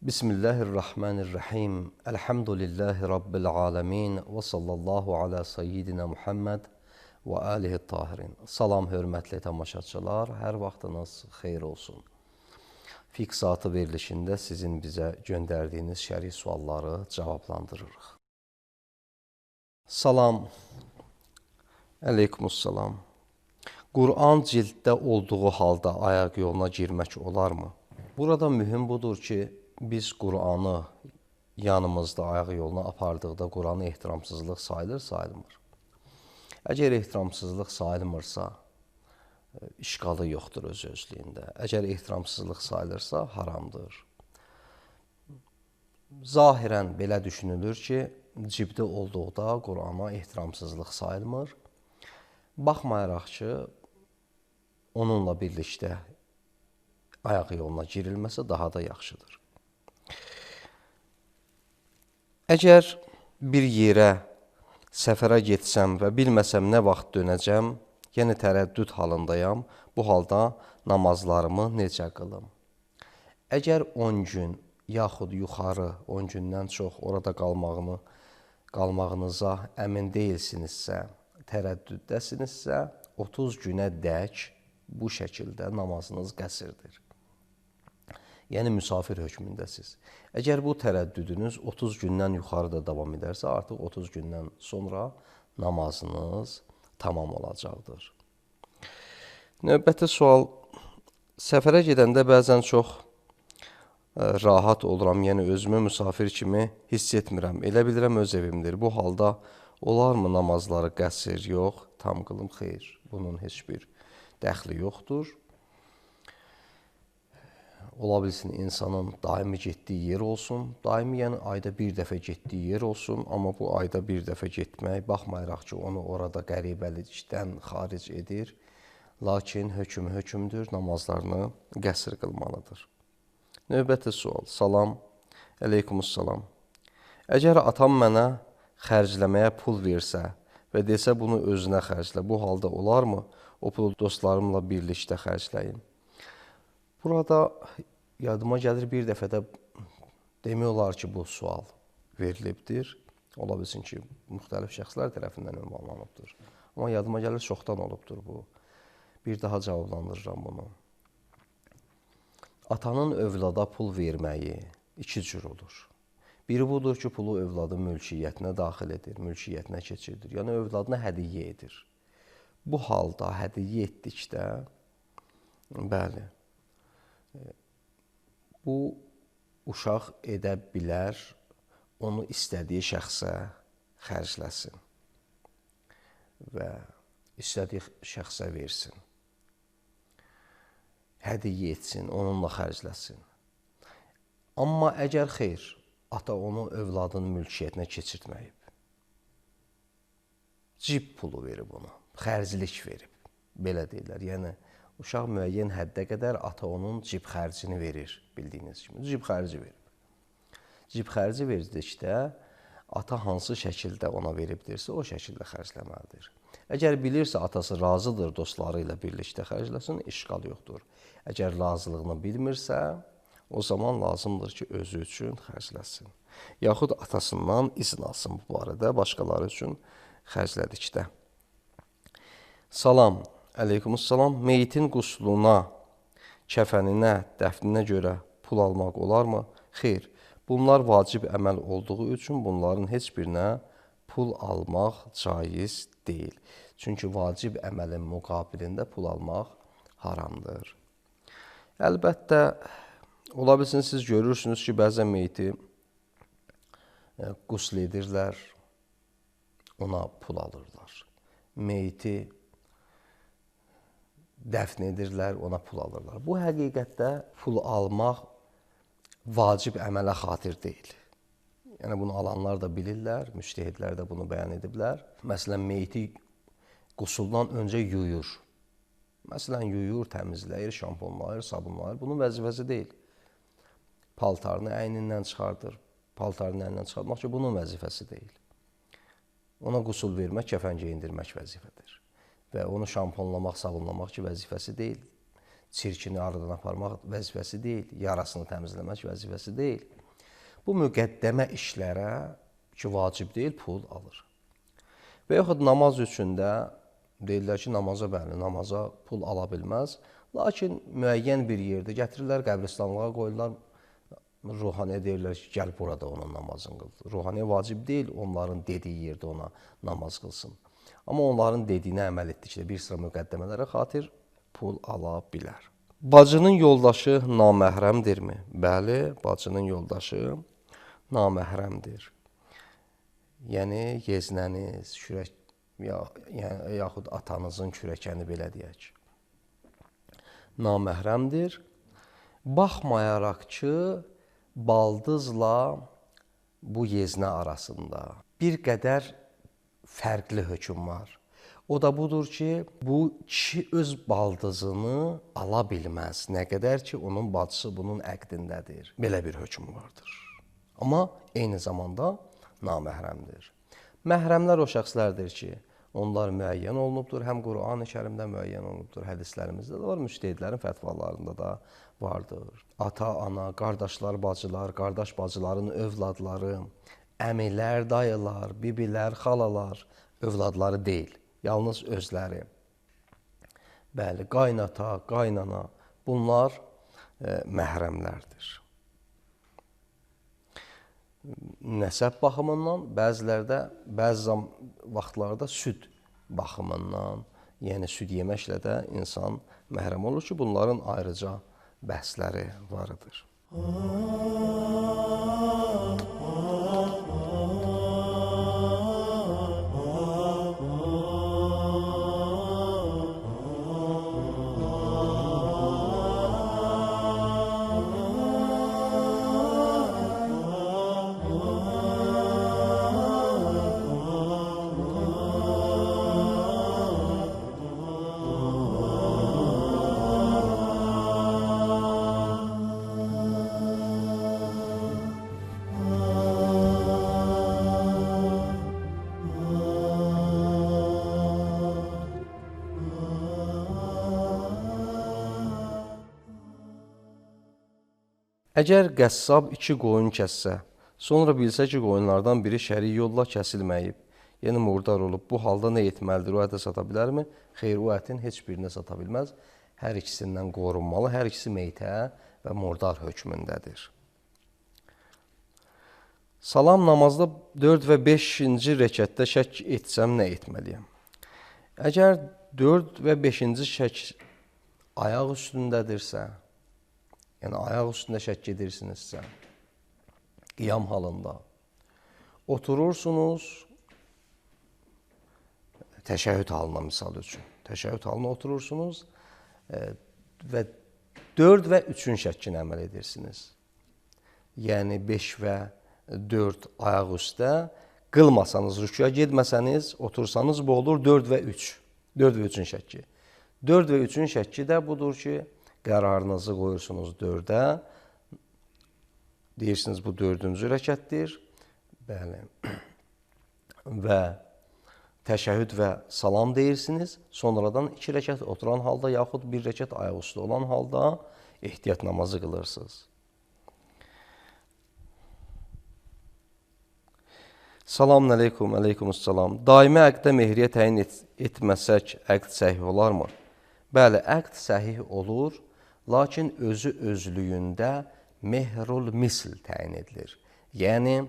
Bismillahirrahmanirrahim. Elhamdülillahi Rabbil alemin. Və sallallahu ala seyyidina Muhammed və alihi tahirin. Salam, hörmətli tamaşaçılar. Hər vaxtınız xeyir olsun. Fiqh Saatı verilişində sizin bizə göndərdiyiniz şər'i sualları cavablandırırıq. Salam. Əleykumussalam. Quran cilddə olduğu halda ayaq yoluna girmək olarmı? Burada mühüm budur ki, biz Qur'anı yanımızda ayaq yoluna apardıqda Qur'anı ehtiramsızlıq sayılır-sayılmır. Əgər ehtiramsızlıq sayılmırsa, işqalı yoxdur öz-özlüyündə. Əgər ehtiramsızlıq sayılırsa, haramdır. Zahirən belə düşünülür ki, cibdə olduqda Qur'ana ehtiramsızlıq sayılmır. Baxmayaraq ki, onunla birlikdə ayaq yoluna girilməsə daha da yaxşıdır. Əgər bir yerə səfərə getsəm və bilməsəm nə vaxt dönəcəm, yəni tərəddüd halındayam, bu halda namazlarımı necə qılım? Əgər 10 gün yaxud yuxarı 10 gündən çox orada qalmağınıza əmin deyilsinizsə, tərəddüddəsinizsə, 30 günə dək bu şəkildə namazınız qəsrdir. Yəni müsafir hökmündəsiz. Əgər bu tərəddüdünüz 30 gündən yuxarıda davam edərsə, artıq 30 gündən sonra namazınız tamam olacaqdır. Növbəti sual, səfərə gedəndə bəzən çox rahat oluram, yəni özümü müsafir kimi hiss etmirəm. Elə bilirəm öz evimdir. Bu halda olarmı namazları qəsr? Yox, tam qılım, xeyr. Bunun heç bir dəxli yoxdur. Ola bilsin insanın daimi getdiyi yer olsun, daimi yəni ayda bir dəfə getdiyi yer olsun, amma bu ayda bir dəfə getmək, baxmayaraq ki, onu orada qəribəlikdən xaric edir, lakin hökm hökmdür, namazlarını qəsr qılmalıdır. Növbəti sual, salam, əleykumussalam. Əgər atam mənə xərcləməyə pul versə və desə bunu özünə xərclə, bu halda olarmı? O pulu dostlarımla birlikdə xərcləyim. Burada yadıma gəlir bir dəfə də demək olar ki, bu sual verilibdir. Ola bilsin ki, müxtəlif şəxslər tərəfindən ünvanlanıbdır. Amma yadıma gəlir çoxdan olubdur bu. Bir daha cavablandırıram bunu. Atanın övlada pul verməyi iki cür olur. Biri budur ki, pulu övladın mülkiyyətinə daxil edir, mülkiyyətinə keçirdir. Yəni, övladına hədiyyə edir. Bu halda hədiyyə etdikdə, bəli, bu uşaq edə bilər, onu istədiyi şəxsə xərcləsin və istədiyi şəxsə versin. Hədiyyə etsin, onunla xərcləsin. Amma əgər xeyr, ata onu övladın mülkiyyətinə keçirtməyib, cib pulu verib ona, xərclik verib, belə deyirlər. Yəni, uşaq müəyyən həddə qədər ata onun cib xərcini verir, bildiyiniz kimi. Cib xərci verib. Cib xərci verdikdə, ata hansı şəkildə ona veribdirsə, o şəkildə xərcləməlidir. Əgər bilirsə, atası razıdır dostları ilə birlikdə xərcləsin, işqal yoxdur. Əgər razılığını bilmirsə, o zaman lazımdır ki, özü üçün xərcləsin. Yaxud atasından izin alsın bu barədə, başqaları üçün xərclədikdə. Salam. Əleykumussalam, meyitin qusluna, kəfəninə, dəfninə görə pul almaq olarmı? Xeyr, bunlar vacib əməl olduğu üçün bunların heç birinə pul almaq caiz deyil. Çünki vacib əməlin müqabilində pul almaq haramdır. Əlbəttə, ola bilsin, siz görürsünüz ki, bəzən meyiti qusl edirlər, ona pul alırlar. Meyiti dəfn edirlər, ona pul alırlar. Bu həqiqətdə pul almaq vacib əmələ xatir deyil. Yəni bunu alanlar da bilirlər, müştəhidlər də bunu bəyan ediblər. Məsələn, meyti qusuldan öncə yuyur. Məsələn, yuyur, təmizləyir, şamponlayır, sabunlayır. Bunun vəzifəsi deyil. Paltarını əynindən çıxardır. Paltarını əynindən çıxartmaq ki, bunun vəzifəsi deyil. Ona qusul vermək, kəfən geyindirmək vəzifədir. Və onu şamponlamaq, sabunlamaq ki, vəzifəsi deyil. Çirkini aradan aparmaq vəzifəsi deyil. Yarasını təmizləmək vəzifəsi deyil. Bu müqəddəmə işlərə ki, vacib deyil, pul alır. Və yaxud namaz üçün də deyirlər ki, namaza pul ala bilməz. Lakin müəyyən bir yerdə gətirirlər, qəbristanlığa qoyurlar, ruhaniyə deyirlər ki, gəl burada onun namazını qıl. Ruhaniyə vacib deyil, onların dediyi yerdə ona namaz qılsın. Amma onların dediyinə əməl etdikdə bir sıra müqəddəmələrə xatir pul ala bilər. Bacının yoldaşı naməhrəmdirmi? Bəli, bacının yoldaşı naməhrəmdir. Yəni, yeznəniz, yaxud atanızın kürəkəni belə deyək. Naməhrəmdir. Baxmayaraq ki, baldızla bu yeznə arasında bir qədər fərqli hökm var. O da budur ki, bu kişi öz baldızını ala bilməz. Nə qədər ki, onun bacısı bunun əqdindədir. Belə bir hökm vardır. Amma eyni zamanda naməhrəmdir. Məhrəmlər o şəxslərdir ki, onlar müəyyən olunubdur. Həm Qur'an-ı Kərimdə müəyyən olunubdur, hədislərimizdə də var, müştəhidlərin fətvalarında da vardır. Ata, ana, qardaşlar, bacılar, qardaş bacıların övladları, əmilər, dayılar, bibilər, xalalar övladları deyil. Yalnız özləri. Bəli, qaynata, qaynana bunlar məhrəmlərdir. Nəsəb baxımından, bəzi vaxtlarda süd baxımından, yəni süd yeməklə də insan məhrəm olur ki, bunların ayrıca bəhsləri vardır. Əgər qəssab 2 qoyun kəssə, sonra bilsə ki, qoyunlardan biri şəri yolla kəsilməyib, yəni murdar olub, bu halda nə etməlidir? O əti sata bilərmi? Xeyr, o ətin heç birini sata bilməz. Hər ikisindən qorunmalı, hər ikisi meytə və murdar hökmündədir. Salam namazda 4 və 5-ci rəkətdə şək etsəm nə etməliyəm? Əgər 4 və 5-ci şək ayaq üstündədirsə, yəni ayaq üstündə şək edirsinizsə, qiyam halında oturursunuz, təşəhhüd halına misal üçün, təşəhhüd halına oturursunuz və 4 və 3-ün şəkkinə əməl edirsiniz. Yəni 5 və 4 ayaq üstə qılmasanız, rüküya getməsəniz, otursanız bu olur 4 və 3. 4 və 3-ün şəkki. 4 və 3-ün şəkki də budur ki, qərarınızı qoyursunuz 4-ə, deyirsiniz bu 4-cü rəkətdir, bəli, və təşəhhüd və salam deyirsiniz, sonradan 2 rəkət oturan halda, yaxud 1 rəkət ayaq üstü olan halda ehtiyat namazı qılırsınız. Selamun əleykum, əleykumussalam. Daimi əqdə mehriyə təyin etməsək, əqd səhih olarmı? Bəli, əqd səhih olur, lakin özü özlüyündə mehrul misl təyin edilir. Yəni,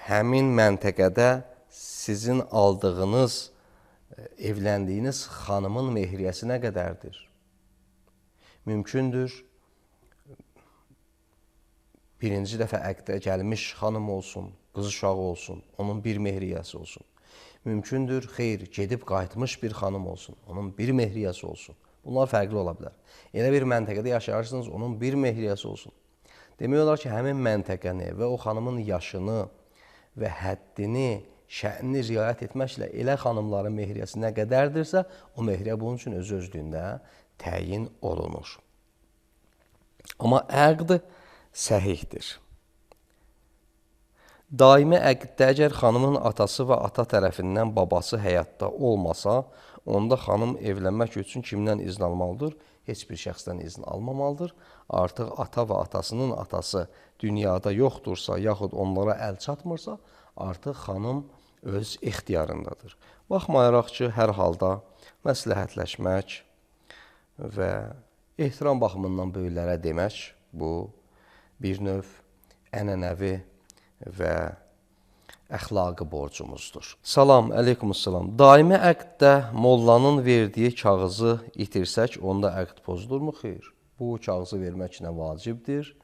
həmin məntəqədə sizin aldığınız, evləndiyiniz xanımın mehriyəsi nə qədərdir? Mümkündür, birinci dəfə əqdə gəlmiş xanım olsun, qız uşağı olsun, onun bir mehriyəsi olsun. Mümkündür, xeyr, gedib qayıtmış bir xanım olsun, onun bir mehriyəsi olsun. Bunlar fərqli ola bilər. Elə bir məntəqədə yaşayarsınız, onun bir mehriyəsi olsun. Demək olar ki, həmin məntəqəni və o xanımın yaşını və həddini, şə'nini riayət etməklə elə xanımların mehriyəsi nə qədərdirsə, o mehriyə bunun üçün öz-özlüyündə təyin olunur. Amma əqd səhihdir. Daimi əqddə əgər xanımın atası və ata tərəfindən babası həyatda olmasa, onda xanım evlənmək üçün kimdən izin almalıdır? Heç bir şəxsdən izin almamalıdır. Artıq ata və atasının atası dünyada yoxdursa, yaxud onlara əl çatmırsa, artıq xanım öz ixtiyarındadır. Baxmayaraq ki, hər halda məsləhətləşmək və ehtiram baxımından böyüklərə demək, bu bir növ ənənəvi və əxlaqi borcumuzdur. Salam, əleykumussalam. Daimi əqddə mollanın verdiyi kağızı itirsək, onda əqd pozulurmu? Xeyr. Bu kağızı vermək nə vacibdir,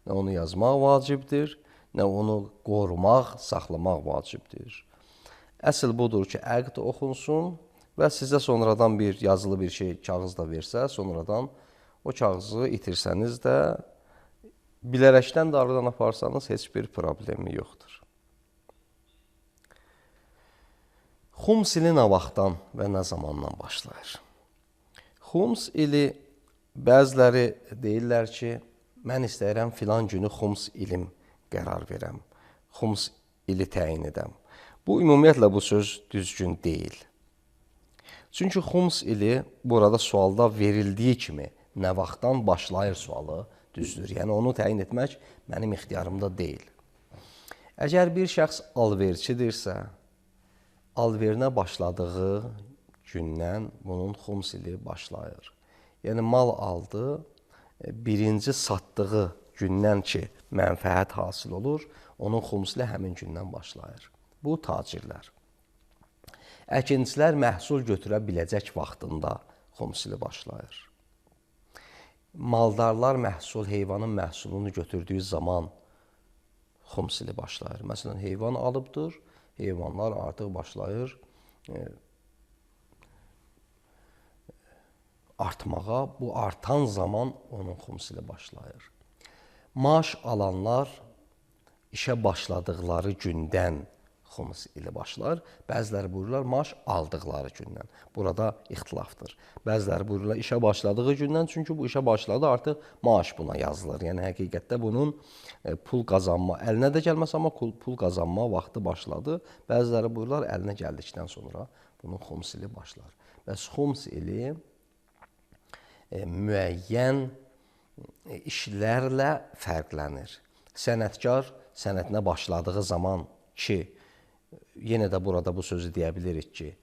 nə onu yazmaq vacibdir, nə onu qorumaq, saxlamaq vacibdir. Əsl budur ki, əqd oxunsun və sizə sonradan bir yazılı bir şey, kağız da versə, sonradan o kağızı itirsəniz də, bilərəkdən də aradan aparsanız heç bir problemi yoxdur. Xums ili nə vaxtdan və nə zamandan başlayır? Xums ili bəziləri deyirlər ki, mən istəyirəm filan günü xums ilim qərar verəm, xums ili təyin edəm. Bu, ümumiyyətlə bu söz düzgün deyil. Çünki xums ili burada sualda verildiyi kimi nə vaxtdan başlayır sualı düzdür. Yəni, onu təyin etmək mənim ixtiyarımda deyil. Əgər bir şəxs alverçidirsə, alverinə başladığı gündən bunun xums ili başlayır. Yəni, mal aldı, birinci satdığı gündən ki, mənfəət hasil olur, onun xums ili həmin gündən başlayır. Bu, tacirlər. Əkincilər məhsul götürə biləcək vaxtında xums ili başlayır. Maldarlar heyvanın məhsulunu götürdüyü zaman xums ili başlayır. Məsələn, heyvan alıbdır, heyvanlar artıq başlayır artmağa. Bu artan zaman onun xums ili başlayır. Maaş alanlar işə başladıqları gündən xums ili başlar. Bəziləri buyururlar, maaş aldıqları gündən. Burada ixtilafdır. Bəziləri buyururlar, işə başladığı gündən, çünki bu işə başladı, artıq maaş buna yazılır. Yəni, həqiqətdə bunun pul qazanma, əlinə də gəlməz, amma pul qazanma vaxtı başladı. Bəziləri buyururlar, əlinə gəldikdən sonra bunun xums ili başlar. Bəs xums ili müəyyən işlərlə fərqlənir. Sənətkar sənətinə başladığı zaman ki, yenə də burada bu sözü deyə bilirik ki,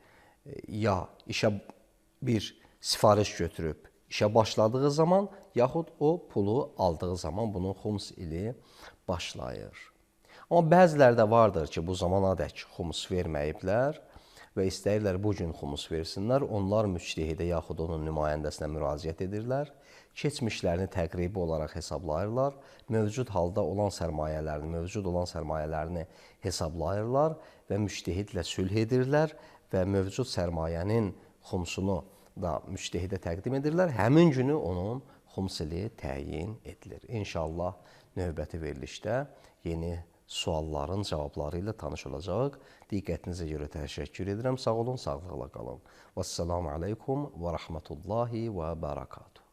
ya işə bir sifariş götürüb işə başladığı zaman, yaxud o pulu aldığı zaman bunun xums ili başlayır. Amma bəziləri də vardır ki, bu zamanadək xums verməyiblər və istəyirlər bu gün xums versinlər. Onlar müctehidə yaxud onun nümayəndəsinə müraciət edirlər. Keçmişlərini təqribi olaraq hesablayırlar. Mövcud halda olan sərmayələrini hesablayırlar və müctehidlə sülh edirlər və mövcud sərmayənin xumsunu da müctehidə təqdim edirlər. Həmin günü onun xums ili təyin edilir. İnşallah növbəti verilişdə yeni sualların cavabları ilə tanış olacaq. Diqqətinizə görə təşəkkür edirəm. Sağ olun, sağlıqla qalın. Vəssalamu aleykum və rəhmətullahi və bərəkatuhu.